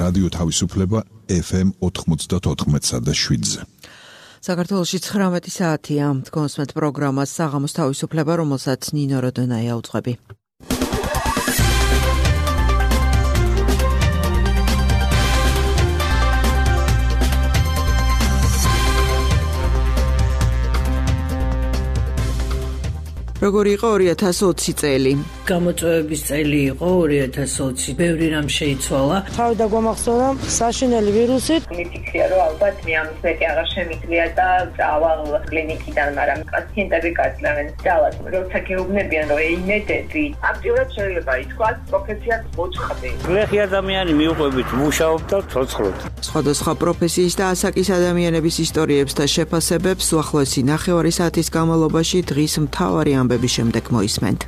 რადიო თავისუფლება FM 94.7-ზე. საქართველოში 19 საათია. კონსმეთ პროგრამას საღამოს თავისუფლება, რომელსაც ნინო როდონაია უძღვები. როგორი იყო 2020 წელი? გამოწვევების წელი იყო 2020. ბევრი რამ შეიცვალა. თავი დაგვამახსოვნა საშინელი ვირუსით. მიფიქრია, რომ ალბათ მე ამის მეტი აღარ შემიძლია და დავალ კლინიკიდან, მაგრამ პაციენტები გაძლევენ ძალად. როცა გეუბნებიან, რომ ეიმედები, აქტიურად შეიძლება ითქვას, პროფესიას მოწყდი. გლეხი ადამიანი მიუყვებით მუშაობ და ცოცხლობ. სხვადასხვა პროფესიის და ასაკის ადამიანების ისტორიებს და შეფასებებს უახლოესი ნახევარი საათის განმავლობაში დღის მთავარი ამბების შემდეგ მოისმენთ.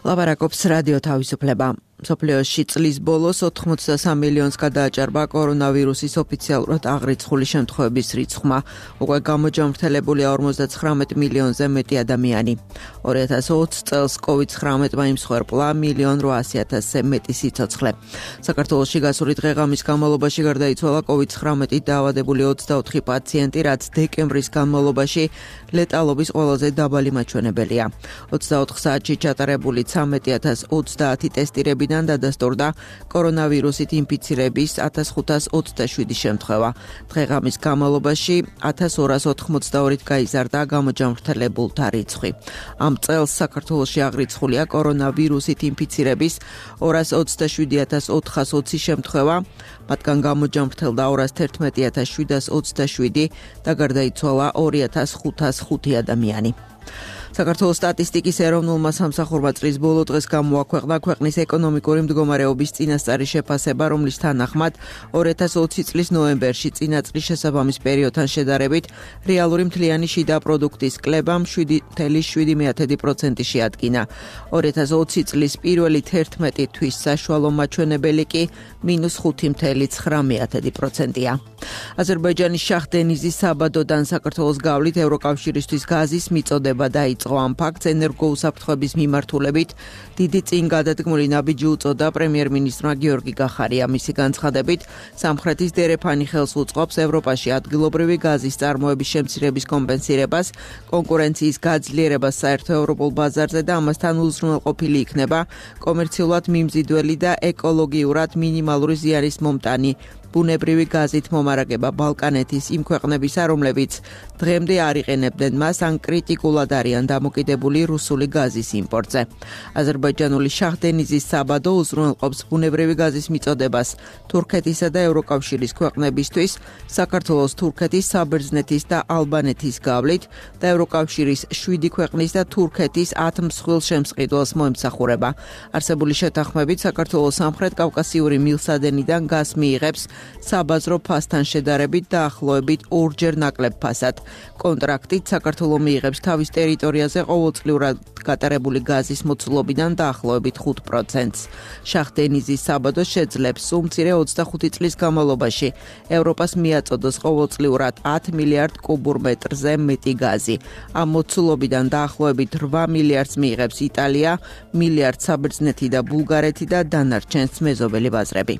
ლაპარაკობს რადიო თავისუფლება. მსოფლიოში წლის ბოლოს 83 მილიონს გადააჭარბა კორონავირუსის ოფიციალურად აღრიცხული შემთხვევების რიცხვმა. უკვე გამოჯამრთელებულია 59 მილიონზე მეტი ადამიანი. 2020 წელს COVID-19-მა იმსხვერპლა 1.8 მილიონ მეტი სიცოცხლე. საქართველოში გასული დღე-ღამის განმავლობაში გარდაიცვალა COVID-19 დაავადებული 24 პაციენტი, რაც დეკემბრის განმავლობაში ლეტალობის ყველაზე დაბალი მაჩვენებელია. 24 საათში ჩატარებული 13.030 ტესტირებიდან დადასტურდა კორონავირუსით ინფიცირების 1527 შემთხვევა. დღე-ღამის განმავლობაში 1282-ით გაიზარდა გამოჯამრთელებულთა რიცხვი. ამ წელს საქართველოში აღრიცხულია კორონავირუსით ინფიცირების 227.420 შემთხვევა, მათგან გამოჯამრთელდა 211.727 და გარდაიცვალა 2.505 ადამიანი. საქართველოს სტატისტიკის ეროვნულმა სამსახურმა წლის ბოლო დღეს გამოაქვეყნა ქვეყნის ეკონომიკური მდგომარეობის წინასწარი შეფასება, რომლის თანახმად 2020 წლის ნოემბერში წინა წლის შესაბამის პერიოდთან შედარებით რეალური მთლიანი შიდა პროდუქტის კლება 7.7% შეადგინა. 2020 წლის პირველი 11 თვის საშუალო მაჩვენებელი კი -5.9%-ია. აზერბაიჯანის შაჰ-დენიზის საბადოდან საქართველოს გავლით ევროკავშირისთვის გაზის მიწოდება დაიწყო. ამ ფაქტს ენერგოუსაფრთხოების მიმართულებით დიდი წინგადადგმული ნაბიჯი უწოდა პრემიერ-მინისტრმა გიორგი გახარია. მისი განცხადებით, სამხრეთის დერეფანი ხელს უწყობს ევროპაში ადგილობრივი გაზის წარმოების შემცირების კომპენსირებას, კონკურენციის გაძლიერებას საერთო ევროპულ ბაზარზე და ამასთან უზრუნველყოფილი იქნება კომერციულად მიმზიდველი და ეკოლოგიურად მინიმალური ზიანის მომტანი ბუნებრივი გაზით მომარაგება ბალკანეთის იმ ქვეყნებისა, რომლებიც დღემდე არ იყენებდნენ მას, ან კრიტიკულად არიან დამოკიდებული რუსული გაზის იმპორტზე. აზერბაიჯანული შაჰ-დენიზის საბადო უზრუნველყოფს ბუნებრივი გაზის მიწოდებას თურქეთისა და ევროკავშირის ქვეყნებისთვის, საქართველოს, თურქეთის, საბერძნეთის და ალბანეთის გავლით და ევროკავშირის 7 ქვეყნის და თურქეთის 10 მსხვილ შემსყიდველს მოემსახურება. არსებული შეთანხმებით საქართველოს სამხრეთ კავკასიური მილსადენიდან გაზს მიიღებს საბაზრო ფასთან შედარებით დაახლოებით 2-ჯერ ნაკლებ ფასად. კონტრაქტით საქართველო მიიღებს თავის ტერიტორიაზე ყოველწლიურად გატარებული გაზის მოცულობიდან დაახლოებით 5%-ს. შაჰ-დენიზის საბადო შეძლებს უმცირე 25 წლის განმავლობაში ევროპას მიაწოდოს ყოველწლიურად 10 მილიარდ კუბურ მეტრზე მეტი გაზი. ამ მოცულობიდან დაახლოებით 8 მილიარდს მიიღებს იტალია, მილიარდ საბერძნეთი და ბულგარეთი და დანარჩენს მეზობელი ბაზრები.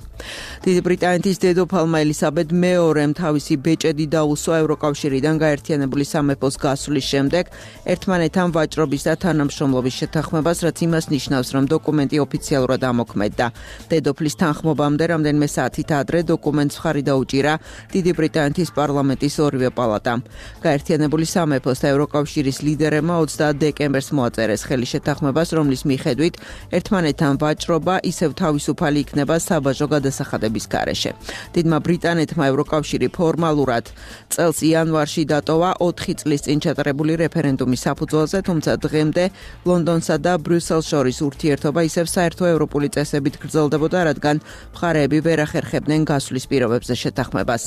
დიდი ბრიტანეთის დედოფალმა ელისაბედ მეორემ თავისი ბეჭედი დაუსვა ევროკავშირიდან გაერთიანებული სამეფოს გასვლის შემდეგ ერთმანეთთან ვაჭრობის და თანამშრომლობის შეთანხმებას, რაც იმას ნიშნავს, რომ დოკუმენტი ოფიციალურად ამოქმედდა. დედოფლის თანხმობამდე რამდენიმე საათით ადრე დოკუმენტს მხარი დაუჭირა დიდი ბრიტანეთის პარლამენტის ორივე პალატამ. გაერთიანებული სამეფოს და ევროკავშირის ლიდერებმა 20 დეკემბერს მოაწერეს ხელი შეთანხმებას, რომლის მიხედვით ერთმანეთთან ვაჭრობა ისევ თავისუფალი იქნება საბაჟო გადასახადების გარეშე. დიდმა ბრიტანეთმა ევროკავშირი ფორმალურად წელს იანვარში დატოვა 4 წლის წინ ჩატარებული რეფერენდუმის საფუძველზე, თუმცა დღემდე ლონდონსა და ბრიუსელს შორის ურთიერთობა ისევ საერთო ევროპული წესებით გრძელდებოდა, რადგან მხარეები ვერ ახერხებდნენ გასვლის პირობებზე შეთანხმებას.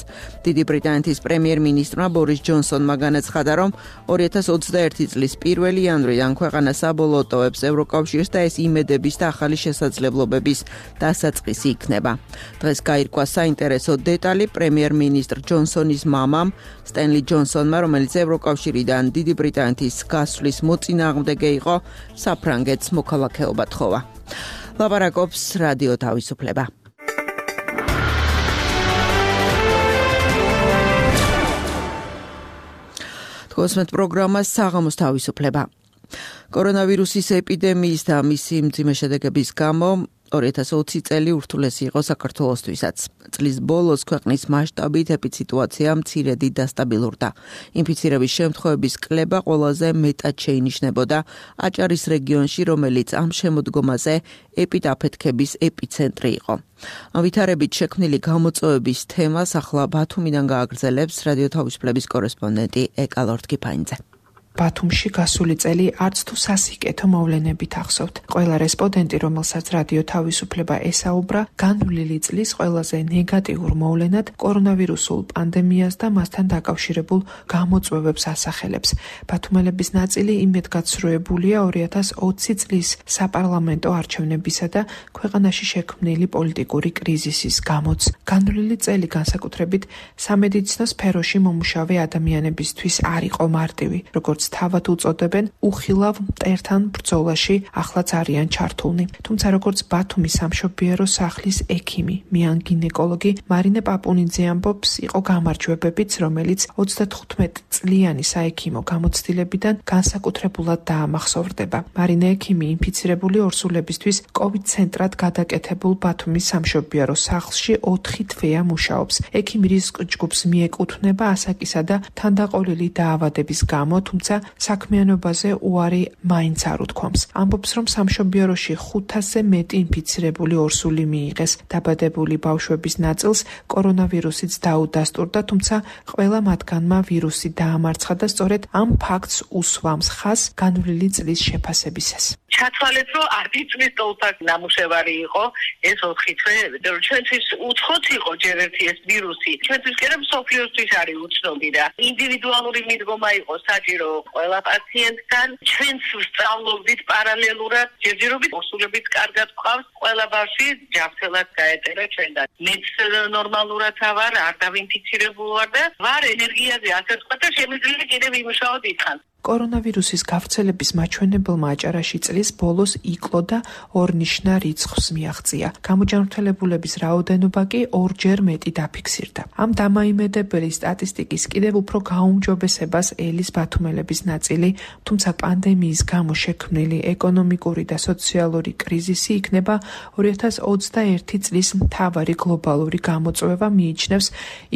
დიდი ბრიტანეთის პრემიერ-მინისტრმა ბორის ჯონსონმა განაცხადა, რომ 2021 წლის 1 იანვრიდან ქვეყანა საბოლოოდ ტოვებს ევროკავშირს და ეს იმედების და ახალი შესაძლებლობების დასაწყისი იქნება. დღეს გაირკვა საინტერესო საინტერესო დეტალი პრემიერ-მინისტრ ჯონსონის მამამ სტენლი ჯონსონმა, რომელიც ევროკავშირიდან დიდი ბრიტანეთის გასვლის მოწინააღმდეგე იყო, საფრანგეთს მოქალაქეობა თხოვა. ლაპარაკობს რადიო თავისუფლება. თქოსმეთ პროგრამა საღამოს თავისუფლება. კორონავირუსის ეპიდემიის და მისი მძიმე შედეგების გამო 2020 წელი ურთულესი იყო საქართველოსთვისაც. წლის ბოლოს ქვეყნის მასშტაბით ეპიდსიტუაცია მცირედი დასტაბილურდა. ინფიცირების შემთხვევების კლება ყველაზე მეტად შეინიშნებოდა აჭარის რეგიონში, რომელიც ამ შემოდგომაზე ეპიდაფეთქების ეპიცენტრი იყო. ამ ვითარებით შექმნილი გამოწვევების თემას ახლა ბათუმიდან გააგრძელებს რადიო თავისუფლების კორესპონდენტი ეკა ლორთქიფანიძე. ბათუმში გასული წელი არც თუ სასიკეთო მოვლენებით ახსოვთ. ყველა რესპონდენტი, რომელსაც რადიო თავისუფლება ესაუბრა, განვლილი წლის ყველაზე ნეგატიურ მოვლენად კორონავირუსულ პანდემიას და მასთან დაკავშირებულ გამოწვევებს ასახელებს. ბათუმელების ნაწილი იმედგაცრუებულია 2020 წლის საპარლამენტო არჩევნებისა და ქვეყანაში შექმნილი პოლიტიკური კრიზისის გამოც. განვლილი წელი განსაკუთრებით სამედიცინო სფეროში მომუშავე ადამიანებისთვის არ იყო მარტივი, როგორც თავად უწოდებენ, უხილავ მტერთან ბრძოლაში ახლაც არიან ჩართულნი. თუმცა როგორც ბათუმის სამშობიარო სახლის ექიმი, მიან გინეკოლოგი მარინე პაპუნიძე ამბობს, იყო გამარჯვებებიც, რომელიც 35 წლიანი საექიმო გამოცდილებიდან განსაკუთრებულად დაამახსოვრდება. მარინე ექიმი ინფიცირებული ორსულებისთვის COVID ცენტრად გადაკეთებულ ბათუმის სამშობიარო სახლში 4 თვეა მუშაობს. ექიმი რისკ ჯგუფს მიეკუთვნება ასაკისა და თანდაყოლილი დაავადების გამო, თუმცა საქმიანობაზე უარი მაინც არ უთქვამს. ამბობს, რომ სამშობიაროში 500-ზე მეტი ინფიცირებული ორსული მიიღეს. დაბადებული ბავშვების ნაწილს კორონავირუსიც დაუდასტურდა, თუმცა ყველა მათგანმა ვირუსი დაამარცხა და სწორედ ამ ფაქტს უსვამს ხაზს განვლილი წლის შეფასებისას. ჩათვალეთ, რომ 10 წლის ტოლფაკ ნამუშევარი იყო ეს 4 თვე, ჩვენთვის უცხოც იყო ჯერ ერთი ეს ვირუსი. ჩვენთვის კი არა მსოფლიოსთვის არის უცნობი და ინდივიდუალური მიდგომა იყო საჭირო ყველა პაციენტთან. ჩვენც ვსწავლობდით პარალელურად, ჯერჯერობით ორსულებით კარგად ვყავს, ყველა ბავშვი ჯანმრთელად გაეტარა ჩვენთან. მეც ნორმალურად ვარ, არ დავინფიცირებული ვარ და ვარ ენერგიაზე ასე ვთქვა და შემიძლია კიდევ იმუშაო დიდხანს. კორონავირუსის გავრცელების მაჩვენებელმა აჭარაში წლის ბოლოს იკლო და ორნიშნა რიცხვს მიაღწია. გამოჯანმრთელებულების რაოდენობა კი 2-ჯერ მეტი დაფიქსირდა. ამ დამაიმედებელი სტატისტიკის კიდევ უფრო გაუმჯობესებას ელის ბათუმელების ნაწილი, თუმცა პანდემიის გამო შექმნილი ეკონომიკური და სოციალური კრიზისი იქნება 2021 წლის მთავარი გლობალური გამოწვევა, მიიჩნევს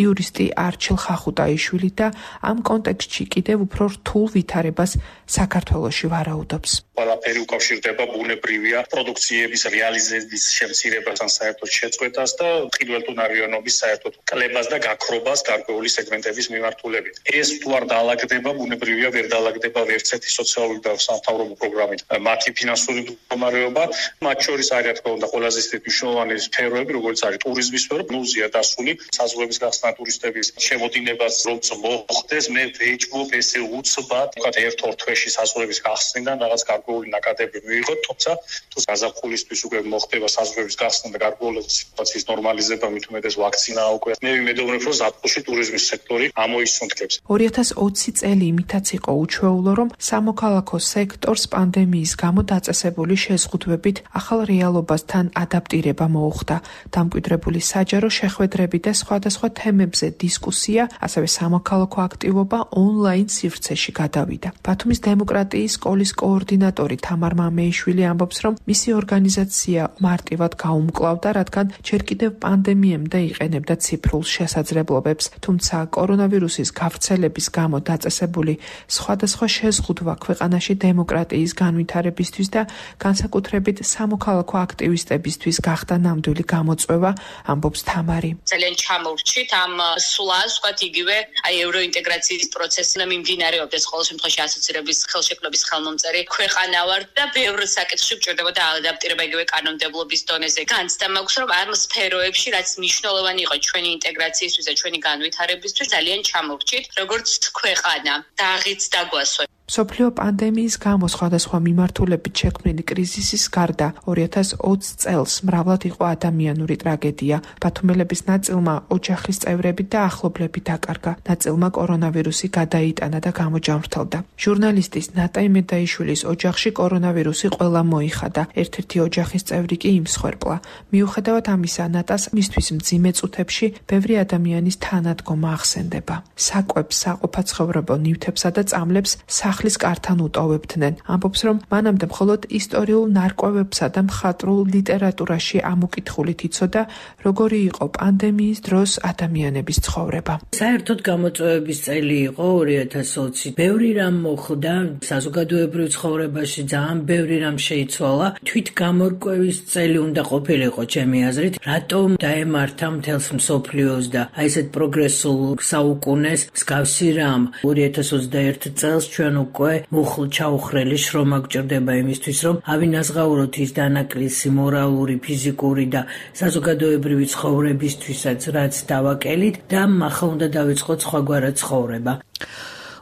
იურისტი არჩილ ხახუტაიშვილი და ამ კონტექსტში კიდევ უფრო რთულ ვითარებას საქართველოში ვარაუდობს. ყველაფერი უკავშირდება ბუნებრივია პროდუქციების რეალიზების შემცირებასთან საერთოდ შეწყვეტას და ხილველთუნარიანობის საერთოდ კლებას და გაქრობას გარკვეული სეგმენტების მიმართულებით. ეს თუ არ დაალაგდება, ბუნებრივია ვერ დაალაგდება ვერცერთი სოციალური და სამთავრობო პროგრამით. მათი ფინანსური მდგომარეობა, მათ შორის არის რა თქმა უნდა ყველაზე მნიშვნელოვანი სფეროები, როგორც არის ტურიზმის სფერო, ნულზეა დასული, საზღვრების გახსნა ტურისტების შემოდინებას როც მოხდეს, მე ვეჭვობ ესე უცბად, ვთქვათ, 1-2 თვეში საზღვრების გახსნიდან რაღაც გარკვეული ნაკადები მიიღოთ, თუმცა თუ გაზაფხულისთვის უკვე მოხდება საზღვრების გახსნა და გარკვეული სიტუაციის ნორმალიზება, მით უმეტეს ვაქცინა უკვე, მე ვიმედოვნებ, რომ ზაფხულში ტურიზმის სექტორი ამოისუნთქებს. 2020 წელი იმითაც იყო უჩვეულო, რომ სამოქალაქო სექტორს პანდემიის გამო დაწესებული შეზღუდვებით ახალ რეალობასთან ადაპტირება მოუხდა. დამკვიდრებული საჯარო შეხვედრები და სხვადასხვა თემებზე დისკუსია, ასევე სამოქალაქო აქტივობა ონლაინ სივრცეში გადავიდა. ბათუმის დემოკრატიის სკოლის კოორდინატორი თამარ მამეიშვილი ამბობს, რომ მისი ორგანიზაცია მარტივად გაუმკლავდა, რადგან ჯერ კიდევ პანდემიამდე იყენებდა ციფრულ შესაძლებლობებს, თუმცა კორონავირუსის გავრცელების გამო დაწესებული სხვადასხვა შეზღუდვა ქვეყანაში დემოკრატიის განვითარებისთვის და განსაკუთრებით სამოქალაქო აქტივისტებისთვის გახდა ნამდვილი გამოწვევა, ამბობს თამარი. ძალიან ჩამოვრჩით ამ სვლას, ვთქვათ, იგივე ევროინტეგრაციის პროცესი მიმდინარეობდეს ყოველ შემთხვევაში ასოცირების ხელშეკრულების ხელმომწერი ქვეყანა ვარ და ბევრ საკითხში გვჭირდებოდა ადაპტირება იგივე კანონმდებლობის დონეზე. განცდა მაქვს, რომ ამ სფეროებში, რაც მნიშვნელოვანი იყო ჩვენი ინტეგრაციისთვის და ჩვენი განვითარებისთვის, ძალიან ჩამოვრჩით, როგორც ქვეყანა. დაღიც დაგვასვე. მსოფლიო პანდემიის გამო სხვადასხვა მიმართულებით შექმნილი კრიზისის გარდა 2020 წელს მრავლად იყო ადამიანური ტრაგედია. ბათუმელების ნაწილმა ოჯახის წევრები და ახლობლები დაკარგა, ნაწილმა კორონავირუსი გადაიტანა და გამოჯამრთელდა. ჟურნალისტის ნატა იმედაიშვილის ოჯახში კორონავირუსი ყველა მოიხადა, ერთ-ერთი ოჯახის წევრი კი იმსხვერპლა. მიუხედავად ამისა, ნატას მისთვის მძიმე წუთებში ბევრი ადამიანის თანადგომა ახსენდება. საკვებს, საყოფაცხოვრებო ნივთებსა და წამლებს სახლის კართან უტოვებდნენ. ამბობს, რომ მანამდე მხოლოდ ისტორიულ ნარკვევებსა და მხატვრულ ლიტერატურაში ამოკითხულით იცოდა, როგორი იყო პანდემიის დროს ადამიანების ცხოვრება. საერთოდ გამოწვევების წელი იყო 2020. ბევრი რამ მოხდა საზოგადოებრივ ცხოვრებაში, ძალიან ბევრი რამ შეიცვალა. თვით გამორკვევის წელი უნდა ყოფილიყო ჩემი აზრით, რატომ დაემართა მთელს მსოფლიოს და აი ესეთ პროგრესულ საუკუნეს მსგავსი რამ 2021 წელს ჩვენ უკვე მუხლ ჩაუხრელი შრომა გვჭირდება იმისთვის, რომ ავინაზღაუროთ ის დანაკლისი მორალური, ფიზიკური და საზოგადოებრივი ცხოვრებისთვისაც, რაც დავაკელით და ახლა უნდა დავიწყოთ სხვაგვარად ცხოვრება.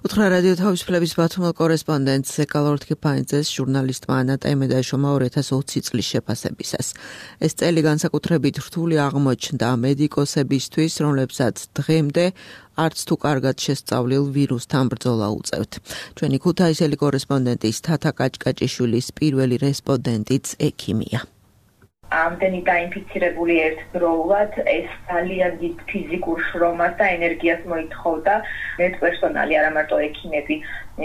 უთხრა რადიო თავისუფლების ბათუმელ კორესპონდენტს ზეკალორთქიფანიძეს ჟურნალისტმა ანატა იმედაიშვილმა 2020 წლის შეფასებისას. ეს წელი განსაკუთრებით რთული აღმოჩნდა მედიკოსებისთვის, რომლებსაც დღემდე არც თუ კარგად შესწავლილ ვირუსთან ბრძოლა უწევთ. ჩვენი ქუთაისელი კორესპონდენტის თათა კაჭკაჭიშვილის პირველი რესპონდენტიც ექიმია. ამდენი დაინფიცირებული ერთდროულად ეს ძალიან დიდ ფიზიკურ შრომას და ენერგიას მოითხოვდა. მედპერსონალი, არა მარტო ექიმები,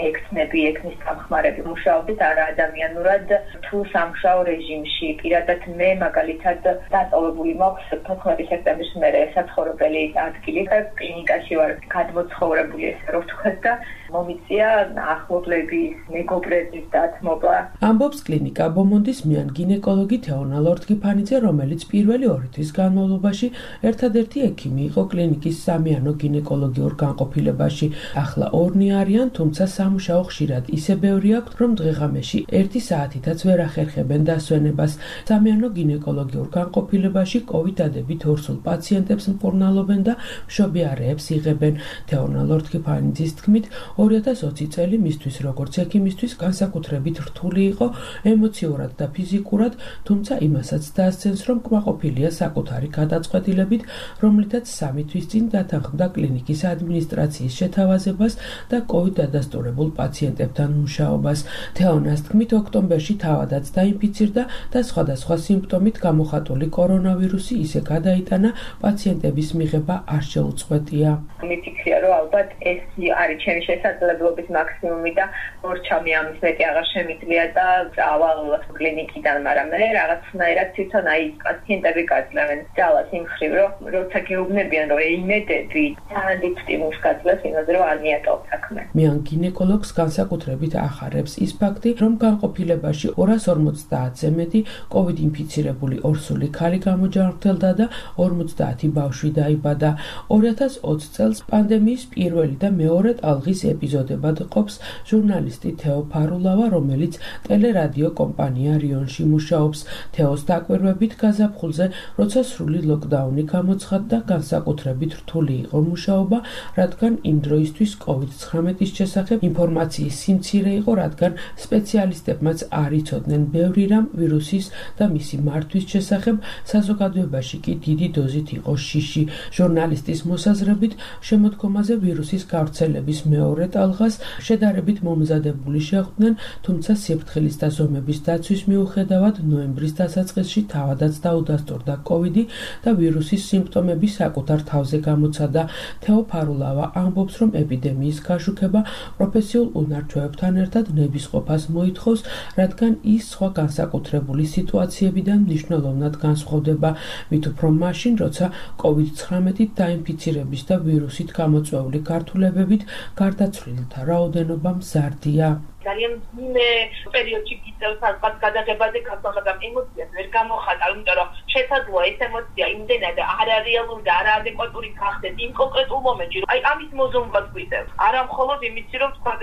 ექცნები, ექნის დამხმარები მუშაობდით არა ადამიანურად თუ სამუშაო რეჟიმში. პირადად მე მაგალითად დატოვებული მაქვს 14 სექტემბრის მერე საცხოვრებელი ადგილი და კლინიკაში ვარ გადმოცხოვრებული, ესე რომ ვთქვათ და მომიწია ახლობლების, მეგობრების დათმობა. ამბობს კლინიკა ბომონდის მიან გინეკოლოგი თეონა ლორთქიფანიძე, რომელიც პირველი 2 თვის განმავლობაში ერთადერთი ექიმი იყო კლინიკის სამიანო გინეკოლოგიურ განყოფილებაში. ახლა 2 არიან, თუმცა სამუშაო ხშირად ისე ბევრი აქვთ, რომ დღეღამეში 1 საათითაც ვერ ახერხებენ დასვენებას. სამიანო გინეკოლოგიურ განყოფილებაში COVID-დადებით ორსულ პაციენტებს მკურნალობენ და მშობიარეებს იღებენ. თეონა ლორთქიფანიძის თქმით, 2020 წელი მისთვის როგორც ექიმისთვის განსაკუთრებით რთული იყო ემოციურად და ფიზიკურად, თუმცა იმასაც დაასცენს, რომ კმაყოფილია საკუთარი გადაწყვეტილებით, რომლითაც 3 თვის წინ დათანხმდა კლინიკის ადმინისტრაციის შეთავაზებას და COVID დადასტურებულ პაციენტებთან მუშაობას. თეონას თქმით, ოქტომბერში თავადაც დაინფიცირდა და სხვადასხვა სიმპტომით გამოხატული კორონავირუსი ისე გადაიტანა, პაციენტების მიღება არ შეუწყვეტია. მიფიქრია, რომ ალბათ ეს არის ჩემი შესაძლებლობის მაქსიმუმი და ორჩამი ამის მეტი აღარ შემიძლია და წავალ კლინიკიდან, მაგრამ მე რაღაცნაირად თვითონ აი პაციენტები გაძლევენ ძალას იმ ხრივ, რომ როცა გეუბნებიან, რომ იმედები ძალიან დიდ სტიმულს გაძლევს იმაზე, რომ არ მიატოვ საქმე. მიან გინეკოლოგს განსაკუთრებით ახარებს ის ფაქტი, რომ განყოფილებაში 250-ზე მეტი COVID ინფიცირებული ორსული ქალი გამოჯანმრთელდა და 50 ბავშვი დაიბადა. 2020 წელს პანდემიის პირველი და მეორე ტალღის ეპიზოდებად ყოფს ჟურნალისტი თეო ფარულავა, რომელიც ტელერადიო კომპანია რიონში მუშაობს. თეოს დაკვირვებით გაზაფხულზე, როცა სრული ლოკდაუნი გამოცხადდა, განსაკუთრებით რთული იყო მუშაობა, რადგან იმ დროისთვის COVID-19-ის შესახებ ინფორმაციის სიმცირე იყო, რადგან სპეციალისტებმაც არ იცოდნენ ბევრი რამ ვირუსის და მისი მართვის შესახებ, საზოგადოებაში კი დიდი დოზით იყო შიში. ჟურნალისტის მოსაზრებით, შემოდგომაზე ვირუსის გავრცელების მეორე ტალღას შედარებით მომზადებული შეხვდნენ, თუმცა სიფრთხილის და ზომების დაცვის მიუხედავად ნოემბრის დასაწყისში თავადაც დაუდასტურდა COVID და ვირუსის სიმპტომები საკუთარ თავზე გამოცადა. თეო ფარულავა ამბობს, რომ ეპიდემიის გაშუქება პროფესიულ უნარჩვევებთან ერთად ნებისყოფას მოითხოვს, რადგან ის სხვა განსაკუთრებული სიტუაციებიდან მნიშვნელოვნად განსხვავდება, მით უფრო მაშინ, როცა COVID-19-ით დაინფიცირების და ვირუსით გამოწვეული გართულებებით გარდაცვლილთა რაოდენობა მზარდია. ძალიან ძიმე პერიოდში გიწევს ალბათ გადაღებაზე გასვლა, მაგრამ ემოციას ვერ გამოხატავ, იმიტომ რომ შესაძლოა ეს ემოცია იმდენად არარეალური და არაადეკვატური გახდეს იმ კონკრეტულ მომენტში, რომ ამის მოზონებას გვიწევს. არა მხოლოდ იმით, რომ თქვა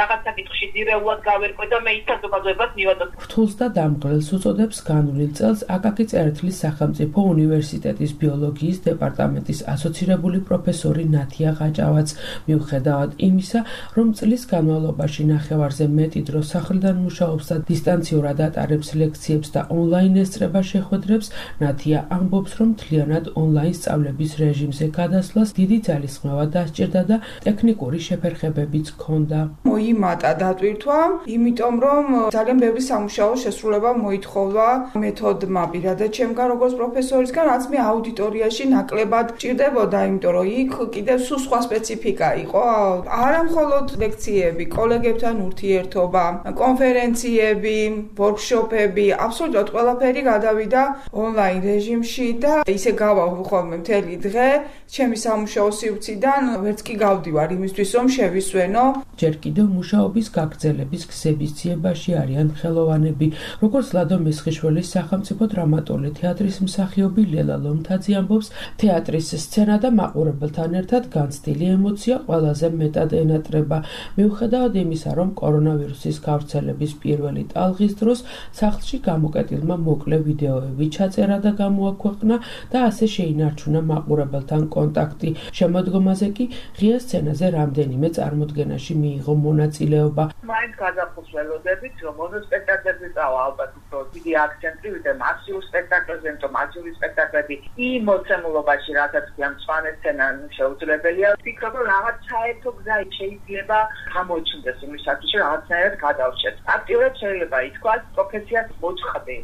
რაღაც საკითხში ძირეულად გავერკვე და მე ის საზოგადოებას მივადოთ. რთულს და დამღლელს უწოდებს განვლილ წელს აკაკი წერეთლის სახელმწიფო უნივერსიტეტის ბიოლოგიის დეპარტამენტის ასოცირებული პროფესორი ნათია ყაჭავაც. მიუხედავად იმისა, რომ წლის განმავლობაში ნახევარზე მეტი დრო სახლიდან მუშაობს და დისტანციურად ატარებს ლექციებს და ონლაინ ესწრება შეხვედრებს, ნათია ამბობს, რომ მთლიანად ონლაინ სწავლების რეჟიმზე გადასვლას დიდი ძალისხმევა დასჭირდა და ტექნიკური შეფერხებებიც ჰქონდა. მოიმატა დატვირთვა, იმიტომ რომ ძალიან ბევრი სამუშაო შესრულება მოითხოვა მეთოდმა პირადად ჩემგან როგორც პროფესორისგან, რაც მე აუდიტორიაში ნაკლებად ჭირდებოდა, იმიტომ რომ იქ კიდევ სულ სხვა სპეციფიკა იყო. არა მხოლოდ ლექციები, კოლეგებთან ურთიერთობა, კონფერენციები, ვორქშოპები, აბსოლუტურად ყველაფერი გადავიდა ონლაინ რეჟიმში და ისე გავალ ხოლმე მთელი დღე ჩემი სამუშაო სივრციდან ვერც კი გავდივარ იმისთვის რომ შევისვენო. ჯერ კიდევ მუშაობის გაგრძელების გზების ძიებაში არიან ხელოვანები, როგორც ლადო მესხიშვილის სახელმწიფო დრამატული თეატრის მსახიობი ლელა ლომთაძე ამბობს, თეატრის სცენა და მაყურებელთან ერთად განცდილი ემოცია ყველაზე მეტად ენატრება. მიუხედავად იმისა, რომ კორონავირუსის გავრცელების პირველი ტალღის დროს სახლში გამოკეტილმა მოკლე ვიდეოები ჩაწერა და გამოაქვეყნა და ასე შეინარჩუნა მაყურებელთან კონტაქტი. შემოდგომაზე კი ღია სცენაზე რამდენიმე წარმოდგენაში მიიღო მონაწილეობა. მაინც გადახოს ველოდებით, რომ მონოსპექტაკლებზე წავა ალბათ უფრო დიდი აქცენტი ვიდრე მასიურ სპექტაკლებზე, იმიტომ მასიური სპექტაკლები იმ მოცემულობაში, რასაც ამ სვანე სცენა შეუძლებელია. ვფიქრობ, რომ რაღაც საერთო გზა შეიძლება გამოჩნდეს იმისათვის, რომ რაღაცნაირად გადავშეთ. აქტიურად შეიძლება ითქვას პროფესიას მოწყდი.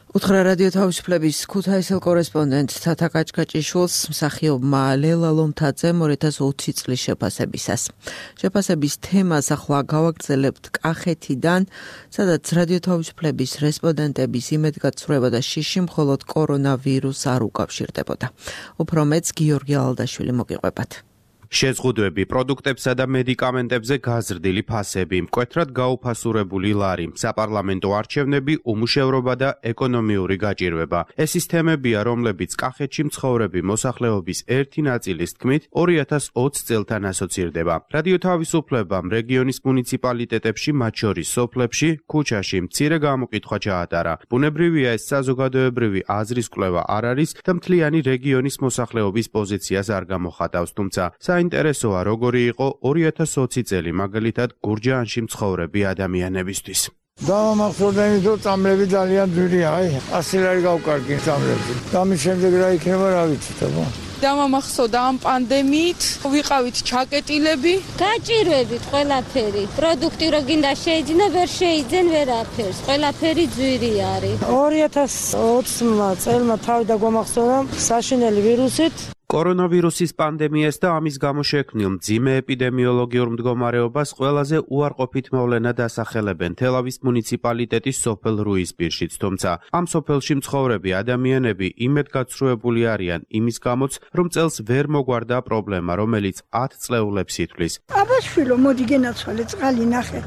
უთხრა რადიო თავისუფლების ქუთაისელ კორესპონდენტ თათა კაჭკაჭიშვილს მსახიობმა ლელა ლომთაძემ 2020 წლის შეფასებისას. შეფასების თემას ახლა გავაგრძელებთ კახეთიდან, სადაც რადიო თავისუფლების რესპონდენტების იმედგაცრუება და შიში მხოლოდ კორონავირუსს არ უკავშირდებოდა. უფრო მეც გიორგი ალდაშვილი მოგიყვებათ. შეზღუდვები, პროდუქტებსა და მედიკამენტებზე გაზრდილი ფასები, მკვეთრად გაუფასურებული ლარი, საპარლამენტო არჩევნები, უმუშევრობა და ეკონომიური გაჭირვება. ეს ის თემებია, რომლებიც კახეთში მცხოვრები მოსახლეობის ერთი ნაწილის თქმით 2020 წელთან ასოცირდება. რადიო თავისუფლებამ რეგიონის მუნიციპალიტეტებში, მათ შორის სოფლებში, ქუჩაში მცირე გამოკითხვა ჩაატარა. ბუნებრივია ეს საზოგადოებრივი აზრის კვლევა არ არის და მთლიანი რეგიონის მოსახლეობის პოზიციას არ გამოხატავს, თუმცა საინტერესოა როგორი იყო 2020 წელი მაგალითად გურჯაანში მცხოვრები ადამიანებისთვის. დავამახსოვრდა იმით, რომ წამლები ძალიან ძვირია, 100 ლარი გავკარგი წამლები. და მის შემდეგ რა იქნება, რა ვიცით, აბა. დავამახსოვრდა ამ პანდემიით, ვიყავით ჩაკეტილები, გაჭირვებით ყველაფერი. პროდუქტი რო გინდა შეიძინა, ვერ შეიძენ ვერაფერს. ყველაფერი ძვირი არის. 2020 წელმა თავი დაგვამახსოვრა საშინელი ვირუსით. კორონავირუსის პანდემიას და ამის გამო შექმნილ მძიმე ეპიდემიოლოგიურ მდგომარეობას ყველაზე უარყოფით მოვლენა დასახელებენ თელავის მუნიციპალიტეტის სოფელ რუისპირშიც, თუმცა ამ სოფელში მცხოვრები ადამიანები იმედგაცრუებული არიან იმის გამოც, რომ წელს ვერ მოგვარდა პრობლემა, რომელიც 10 წლეულებს ითვლის. აბაშვილო, მოდი გენაცვალე წყალი ნახეთ.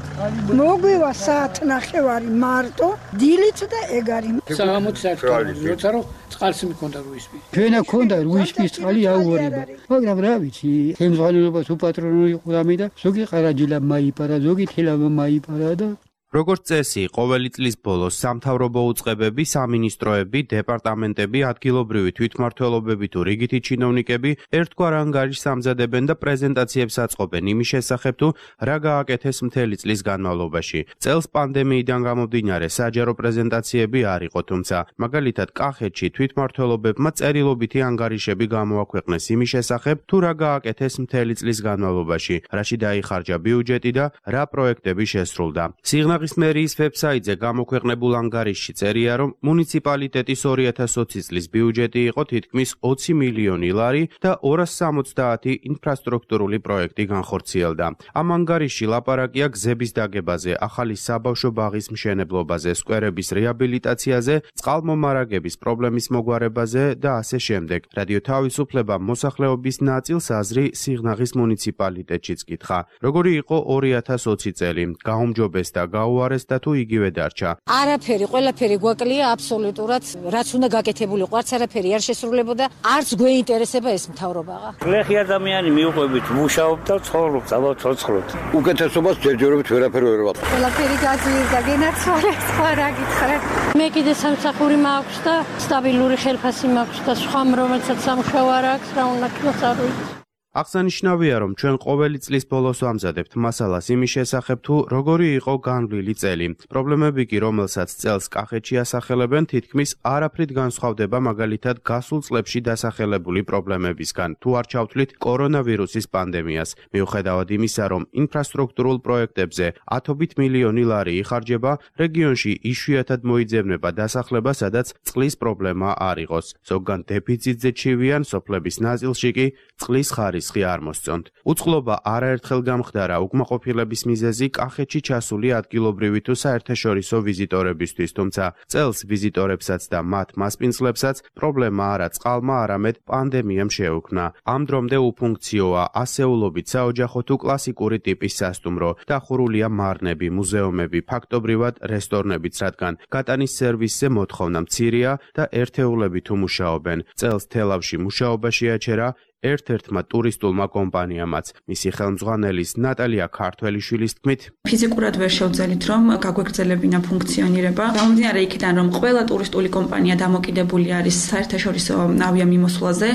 მოგვივა საათ ნახევარი მარტო, დილით და ეგ არის. საღამოც საათი, როცა რომ წყალს მქონდა რუისპირში. ჩვენა ქონდა რუისპირში წყალი აუარება. მაგრამ რა ვიცი, ხელმძღვანელობას უპატრონო იყო ამი და ზოგი ყარაჯილა მაიპარა, ზოგი თელავა მაიპარა და როგორც წესი, ყოველი წლის ბოლოს სამთავრობო უწყებები, სამინისტროები, დეპარტამენტები, ადგილობრივი თვითმმართველობები თუ რიგითი ჩინოვნიკები ერთგვარ ანგარიშს ამზადებენ და პრეზენტაციებს აწყობენ იმის შესახებ, თუ რა გააკეთეს მთელი წლის განმავლობაში. წელს პანდემიიდან გამომდინარე საჯარო პრეზენტაციები არ იყო, თუმცა მაგალითად კახეთში თვითმმართველობებმა წერილობითი ანგარიშები გამოაქვეყნეს იმის შესახებ, თუ რა გააკეთეს მთელი წლის განმავლობაში, რაში დაიხარჯა ბიუჯეტი და რა პროექტები შესრულდა. სიღნაღის ქუთაისის მერიის ვებსაიტზე გამოქვეყნებულ ანგარიშში წერია, რომ მუნიციპალიტეტის 2020 წლის ბიუჯეტი იყო თითქმის 20 მილიონი ლარი და 270 ინფრასტრუქტურული პროექტი განხორციელდა. ამ ანგარიშში ლაპარაკია გზების დაგებაზე, ახალი საბავშვო ბაღის მშენებლობაზე, სკვერების რეაბილიტაციაზე, წყალმომარაგების პრობლემის მოგვარებაზე და ასე შემდეგ. რადიო თავისუფლება მოსახლეობის ნაწილს აზრი სიღნაღის მუნიციპალიტეტშიც კითხა. როგორი იყო 2020 წელი? გაუმჯობესდა, გაუარეს და თუ იგივე დარჩა? არაფერი, ყველაფერი გვაკლია აბსოლუტურად, რაც უნდა გაკეთებულიყო, არც არაფერი არ შესრულებოდა, არც გვეინტერესება ეს მთავრობაა. გლეხი ადამიანი მიუყვებით, მუშაობთ და ცხოვრობთ, ალბათ ცოცხლობთ. უკეთესობას ჯერჯერობით ვერაფერი ვერ ვაკეთებ. ყველაფერი გაძლიერდა, გენაცვალეს, სხვა რა გითხრათ. მე კიდე სამსახური მაქვს და სტაბილური ხელფასი მაქვს და სხვა რომელსაც სამუშაო არ აქვს, რა უნდა თქვას არ ვიცი. აღსანიშნავია, რომ ჩვენ ყოველი წლის ბოლოს ვამზადებთ მასალას იმის შესახებ, თუ როგორი იყო განვლილი წელი. პრობლემები კი, რომელსაც წელს კახეთში ასახელებენ, თითქმის არაფრით განსხვავდება მაგალითად გასულ წლებში დასახელებული პრობლემებისგან, თუ არ ჩავთვლით კორონავირუსის პანდემიას. მიუხედავად იმისა, რომ ინფრასტრუქტურულ პროექტებზე ათობით მილიონი ლარი იხარჯება, რეგიონში იშვიათად მოიძებნება დასახლება, სადაც წყლის პრობლემა არ იყოს. ზოგან დეფიციტზე ჩივიან, სოფლების ნაწილში კი წყლის ხარისხი არ მოსწონთ. უწყლობა არაერთხელ გამხდარა უკმაყოფილების მიზეზი კახეთში ჩასული ადგილობრივი თუ საერთაშორისო ვიზიტორებისთვის, თუმცა წელს ვიზიტორებსაც და მათ მასპინძლებსაც პრობლემა არა წყალმა, არამედ პანდემიამ შეეუქმნა. ამ დრომდე უფუნქციოა ასეულობით საოჯახო თუ კლასიკური ტიპის სასტუმრო, დახურულია მარნები, მუზეუმები, ფაქტობრივად რესტორნებიც, რადგან გატანის სერვისზე მოთხოვნა მცირეა და ერთეულები თუ მუშაობენ. წელს თელავში მუშაობა შეაჩერა ერთ-ერთმა ტურისტულმა კომპანიამაც. მისი ხელმძღვანელის ნატალია ქართველიშვილის თქმით, ფიზიკურად ვერ შევძელით, რომ გაგვეგრძელებინა ფუნქციონირება. გამომდინარე იქიდან, რომ ყველა ტურისტული კომპანია დამოკიდებული არის საერთაშორისო ავიამიმოსვლაზე,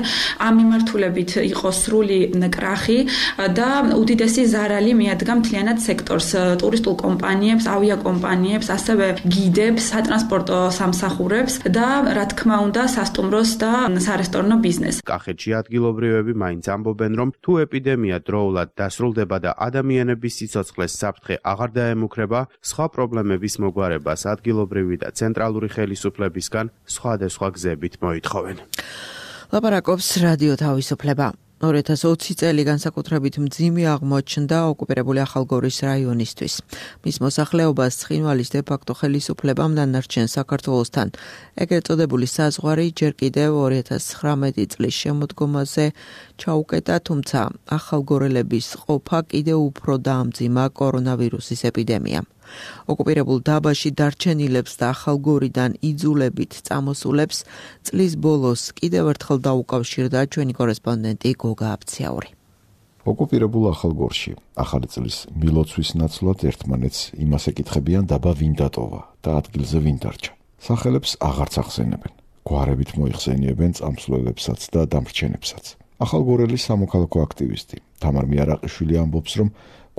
ამ მიმართულებით იყო სრული კრახი და უდიდესი ზარალი მიადგა მთლიანად სექტორს, ტურისტულ კომპანიებს, ავიაკომპანიებს, ასევე გიდებს, სატრანსპორტო სამსახურებს და რა თქმა უნდა, სასტუმროს და სარესტორნო ბიზნესს. კახეთში ადგილობრივი მაინც ამბობენ, რომ თუ ეპიდემია დროულად დასრულდება და ადამიანების სიცოცხლეს საფრთხე აღარ დაემუქრება, სხვა პრობლემების მოგვარებას ადგილობრივი და ცენტრალური ხელისუფლებისგან სხვადასხვა გზებით მოითხოვენ. ლაპარაკობს რადიო თავისუფლება. 2020 წელი განსაკუთრებით მძიმე აღმოჩნდა ოკუპირებული ახალგორის რაიონისთვის. მის მოსახლეობას ცხინვალის დე-ფაქტო ხელისუფლებამ დანარჩენ საქართველოსთან ეგრეთ წოდებული საზღვარი ჯერ კიდევ 2019 წლის შემოდგომაზე ჩაუკეტა, თუმცა ახალგორელების ყოფა კიდევ უფრო დაამძიმა კორონავირუსის ეპიდემიამ. ოკუპირებულ დაბაში დარჩენილებს და ახალგორიდან იძულებით წამოსულებს წლის ბოლოს კიდევ ერთხელ დაუკავშირდა ჩვენი კორესპონდენტი გოგა აბციაური. ოკუპირებულ ახალგორში ახალი წლის მილოცვის ნაცვლად ერთმანეთს იმას ეკითხებიან დაბა ვინ დატოვა და ადგილზე ვინ დარჩა. სახელებს აღარც ახსენებენ. გვარებით მოიხსენიებენ წამსვლელებსაც და დამრჩენებსაც. ახალგორელის სამოქალაქო აქტივისტი თამარ მიარაყიშვილი ამბობს, რომ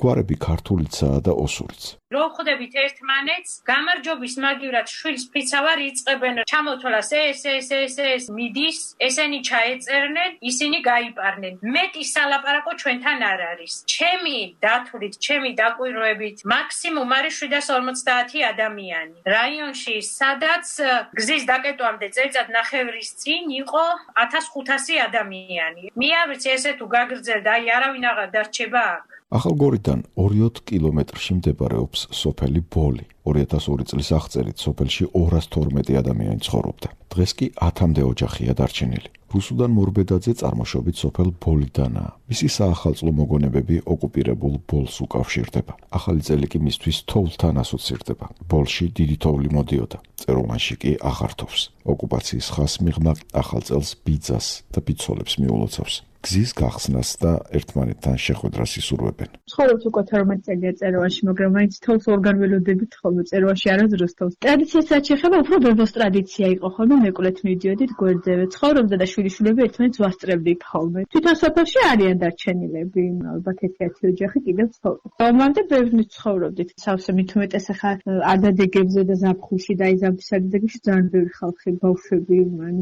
გვარები ქართულიცაა და ოსურიც. რო ხვდებით ერთმანეთს, გამარჯობის მაგივრად შვილს ფიცავარ იწყებენ ჩამოთვალას ეს მიდის, ესენი ჩაეწერნენ, ისინი გაიპარნენ. მეტი სალაპარაკო ჩვენთან არ არის. ჩემი დათვლით, ჩემი დაკვირვებით, მაქსიმუმ არის 750 ადამიანი. რაიონში, სადაც გზის დაკეტვამდე წელიწად ნახევრის წინ იყო 1500 ადამიანი. მე არ ვიცი ესე თუ გაგრძელდა, აი არავინ აღარ დარჩება აქ. ახალგორიდან 20 კილომეტრში მდებარეობს სოფელი ბოლი. 2002 წლის აღწერით სოფელში 212 ადამიანი ცხოვრობდა. დღეს კი 10-მდე ოჯახია დარჩენილი. რუსუდან მორბედაძე წარმოშობით სოფელ ბოლიდანაა. მისი საახალწლო მოგონებები ოკუპირებულ ბოლს უკავშირდება. ახალი წელი კი მისთვის თოვლთან ასოცირდება. ბოლში დიდი თოვლი მოდიოდა. წეროვანში კი აღარ თოვს. ოკუპაციის ხას მიღმა ახალ წელს ბიძას და ბიცოლებს მიულოცავს. გზის გახსნას და ერთმანეთთან შეხვედრას ისურვებენ. ცხოვრობთ უკვე 12 წელია წეროვანში, მაგრამ მაინც თოვს ორგან ველოდებით ხოლმე წეროვანში არასდროს თოვს. ტრადიციასაც შეხება, უფრო ბებოს ტრადიცია იყო ხოლმე, მეკვლეთ მიდიოდით გვერდზე. ცხოვრობდა და შვილიშვილები ერთმანეთს ვასწრებდით ხოლმე. თვითონ სოფელში არიან დარჩენილები, ალბათ 1-10 ოჯახი კიდევ ცხოვრობს. მომამდე ბევრნი ცხოვრობდით. სავსე მით უმეტეს ახლა ადადეგებზე და ზაფხულში და იზამთრის ადადეგებში ძალიან ბევრი ხალხი, ბავშვები,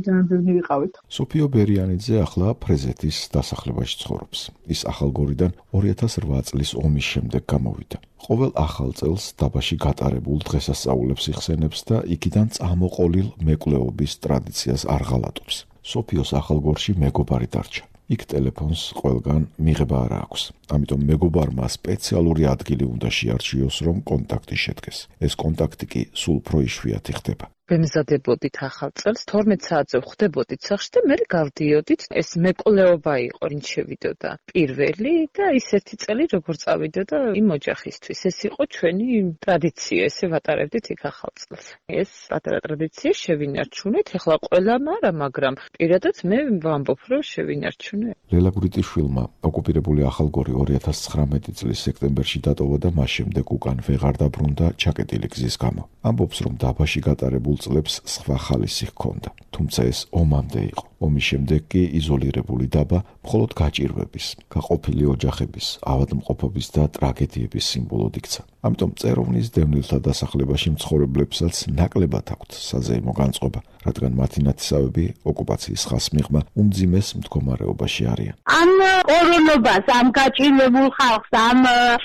ძალიან ბევრი ვიყავით. სოფიო ბერიანიძე ახლა ფრეზეთის დასახლებაში ცხოვრობს. ის ახალგორიდან 2008 წლის ომის შემდეგ გამოვიდა. ყოველ ახალ წელს დაბაში გატარებულ დღესასწაულებს იხსენებს და იქიდან წამოყოლილ მეკვლეობის ტრადიციას არ ღალატობს. სოფიოს ახალგორში მეგობარი დარჩა. იქ ტელეფონს ყველგან მიღება არ აქვს. ამიტომ მეგობარმა სპეციალური ადგილი უნდა შეარჩიოს, რომ კონტაქტი შედგეს. ეს კონტაქტი კი სულ უფრო იშვიათი ხდება. ვემზადებოდით ახალ წელს 12 საათზე ვხვდებოდით სახში და მე გავდიოდით. ეს მეკვლეობა იყო, ვინ შევიდოდა პირველი და ის ერთი წელი როგორ წავიდოდა იმ ოჯახისთვის. ეს იყო ჩვენი ტრადიცია, ესე ვატარებდით იქ ახალ წელს. ეს პატარა ტრადიცია შევინარჩუნეთ, ეხლა ყველამ არა, მაგრამ პირადად მე ვამბობ, რომ შევინარჩუნე. ლელა გურიტიშვილმა ოკუპირებული ახალგორი 2019 წლის სექტემბერში დატოვა და მას შემდეგ უკან ვეღარ დაბრუნდა ჩაკეტილი გზის გამო. ამბობს, რომ დაბაში გატარებულ წლებს სხვა ხალისი ჰქონდა, თუმცა ეს ომამდე იყო. ომის შემდეგ კი იზოლირებული დაბა მხოლოდ გაჭირვების, გაყოფილი ოჯახების, ავადმყოფობის და ტრაგედიების სიმბოლოდ იქცა. ამიტომ წეროვნის დევნილთა დასახლებაში მცხოვრებლებსაც ნაკლებად აქვთ საზეიმო განწყობა, რადგან მათი ნათესავები ოკუპაციის ხაზს მიღმა უმძიმეს მდგომარეობაში არიან. ამ კორონობას, ამ გაჭირვებულ ხალხს, ამ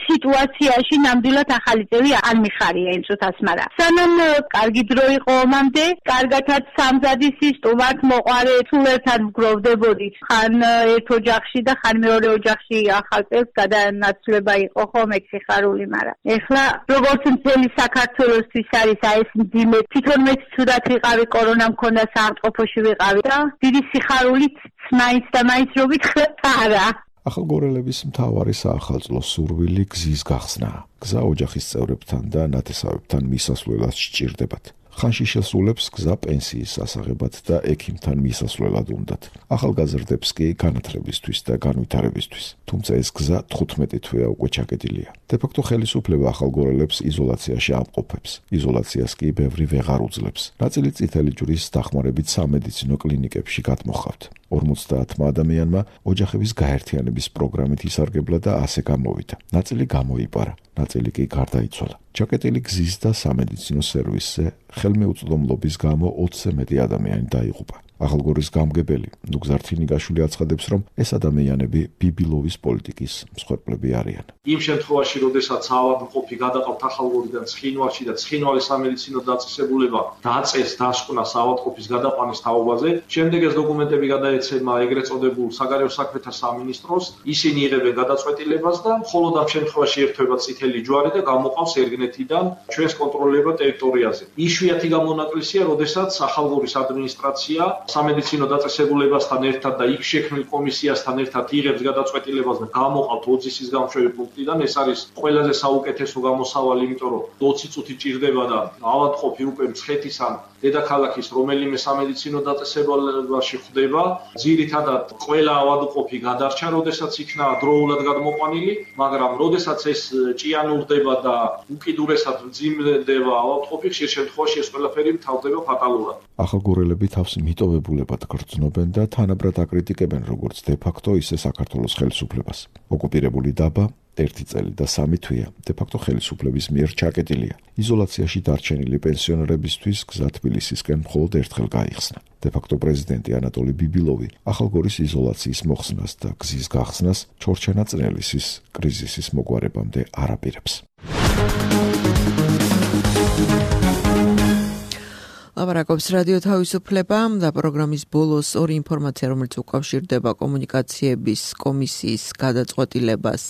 სიტუაციაში ნამდვილად ახალი წელი არ მიხარია იმ წუთას, მაგრამ სანამ კარგი დრო იყო ომამდე, კარგათაც სამზადისი სტუმართ მოყარე თუ ერთად ვგროვდებოდით. ხან ერთ ოჯახში და ხან მეორე ოჯახში ახალ წელს გადანაცვლება იყო ხომ ეგ სიხარული, მაგრამ ეხლა როგორც მთელი საქართველოსთვის არის აი ეს მძიმე, თვითონ მეც ცუდად ვიყავი, კორონა მქონდა, საავადმყოფოში ვიყავი და დიდი სიხარულით მაინც და მაინც რო ვითხრათ არა. ახალგორელების მთავარი საახალწლო სურვილი გზის გახსნაა. გზა ოჯახის წევრებთან და ნათესავებთან მისასვლელად სჭირდებათ. ხანში შესრულებს გზა პენსიის სასაღებად და ექიმთან მისასვლელად უნდათ. ახალგაზრდებს კი განათლებისთვის და განვითარებისთვის. თუმცა ეს გზა 15 თვეა უკვე ჩაკეტილია. დე-ფაქტო ხელისუფლება ახალგორელებს იზოლაციაში ამყოფებს. იზოლაციას კი ბევრი ვეღარ უძლებს. ნაწილი წითელი ჯვრის დახმარებით სამედიცინო კლინიკებში გადმოხავთ. 50 ადამიანმა ოჯახების გაერთიანების პროგრამით ისარგებლა და ასე გამოვიდა. ნაწილი გამოიპარა, ნაწილი კი გარდაიცვალა. ჩაკეტილი გზის და სამედიცინო სერვისზე ხელმეუწვდომლობის გამო 20-ზე მეტი ადამიანი დაიღუპა. ახალგორის გამგებელი ნუგზარ თინიგაშვილი აცხადებს, რომ ეს ადამიანები ბიბილოვის პოლიტიკის მსხვერპლები არიან. იმ შემთხვევაში, როდესაც ავადმყოფი გადაყავთ ახალგორიდან ცხინვალში და ცხინვალის სამედიცინო დაწესებულება დაწეს დასკვნა ავადმყოფის გადაყვანის თაობაზე, შემდეგ ეს დოკუმენტები გადაეცემა ეგრეთ წოდებულ საგარეო საქმეთა სამინისტროს, ისინი იღებენ გადაწყვეტილებას და მხოლოდ ამ შემთხვევაში ერთვება წითელი ჯვარი და გამოყავს ერგნეთიდან ჩვენს კონტროლირებულ ტერიტორიაზე. იშვიათი გამონაკლისია, როდესაც ახალგორის ადმინისტრაცია სამედიცინო დაწესებულებასთან ერთად და იქ შექმნილ კომისიასთან ერთად იღებს გადაწყვეტილებას და გამოყავთ ოძისის გამშვევი პუნქტიდან. ეს არის ყველაზე საუკეთესო გამოსავალი, იმიტომ რომ 20 წუთი ჭირდება და ავადმყოფი უკვე მცხეთის ან დედაქალაქის რომელიმე სამედიცინო დაწესებულებაში ხვდება. ძირითადად ყველა ავადმყოფი გადარჩა, როდესაც იქნა დროულად გადმოყვანილი, მაგრამ როდესაც ეს ჭიანურდება და უკიდურესად მძიმდება ავადმყოფი, ხშირ შემთხვევაში ეს ყველაფერი მთავრდება ფატალურად. ახალგორელები თავს მიტოვებულებად გრძნობენ და თანაბრად აკრიტიკებენ როგორც დე-ფაქტო, ისე საქართველოს ხელისუფლებას. ოკუპირებული დაბა 1 წელი და 3 თვეა დე-ფაქტო ხელისუფლების მიერ ჩაკეტილია. იზოლაციაში დარჩენილი პენსიონერებისთვის გზა თბილისისკენ მხოლოდ ერთხელ გაიხსნა. დე-ფაქტო პრეზიდენტი ანატოლი ბიბილოვი ახალგორის იზოლაციის მოხსნას და გზის გახსნას ჩორჩანა წნელისის კრიზისის მოგვარებამდე არ აპირებს. ლაპარაკობს რადიო თავისუფლება და პროგრამის ბოლოს ორი ინფორმაცია, რომელიც უკავშირდება კომუნიკაციების კომისიის გადაწყვეტილებას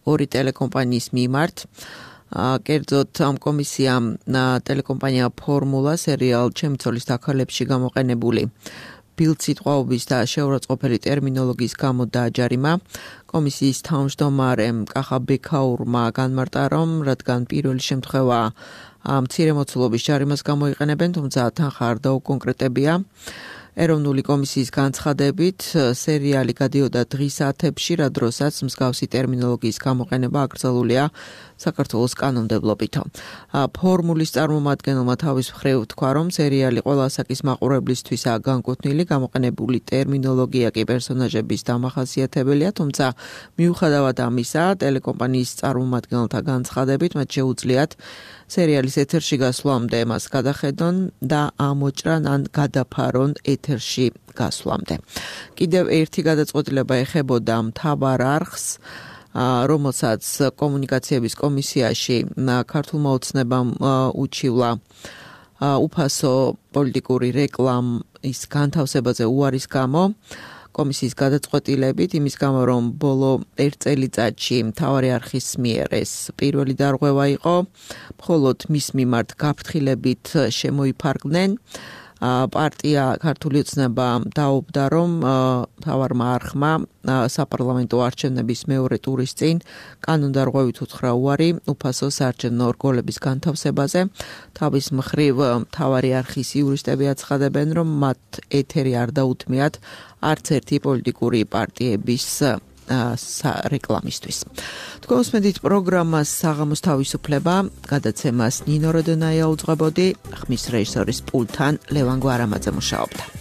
ორი ტელეკომპანიის მიმართ. კერძოდ ამ კომისიამ ტელეკომპანია ფორმულა სერიალ ჩემი ცოლის დაქალებში გამოყენებული ბილდსიტყვაობის და შეურაცხყოფელი ტერმინოლოგიის გამო დააჯარიმა. კომისიის თავმჯდომარემ კახა ბექაურმა განმარტა, რომ რადგან პირველი შემთხვევა მცირე მოცულობის ჯარიმას გამოიყენებენ, თუმცა თანხა არ დაუკონკრეტებია. ეროვნული კომისიის განცხადებით, სერიალი გადიოდა დღის საათებში, რა დროსაც მსგავსი ტერმინოლოგიის გამოყენება აკრძალულია საქართველოს კანონმდებლობითო. ფორმულის წარმომადგენელმა თავის მხრივ თქვა, რომ სერიალი ყველა ასაკის მაყურებლისთვისაა განკუთვნილი, გამოყენებული ტერმინოლოგია კი პერსონაჟების დამახასიათებელია, თუმცა მიუხედავად ამისა, ტელეკომპანიის წარმომადგენელთა განცხადებით, მათ შეუძლიათ სერიალის ეთერში გასვლამდე მას გადახედონ და ამოჭრან ან გადაფარონ ეთერში გასვლამდე. კიდევ ერთი გადაწყვეტილება ეხებოდა მთავარ არხს, რომელსაც კომუნიკაციების კომისიაში ქართულმა ოცნებამ უჩივლა უფასო პოლიტიკური რეკლამის განთავსებაზე უარის გამო კომისიის გადაწყვეტილებით, იმის გამო რომ ბოლო 1 წელიწადში მთავარი არხის მიერ ეს პირველი დარღვევა იყო, მხოლოდ მის მიმართ გაფრთხილებით შემოიფარგნენ. პარტია ქართული ოცნება დაობდა, რომ მთავარმა არხმა საპარლამენტო არჩევნების მეორე ტურის წინ კანონდარღვევით უთხრა უარი უფასო საარჩევნო რგოლების განთავსებაზე. თავის მხრივ მთავარი არხის იურისტები აცხადებენ, რომ მათ ეთერი არ დაუთმიათ არც ერთი პოლიტიკური პარტიების რეკლამისთვის. თქვენ უსმენთ პროგრამას საღამოს თავისუფლება, გადაცემას ნინო როდონაია უძღვებოდი, ხმის რეჟისორის პულტთან ლევან გვარამაძე მუშაობდა.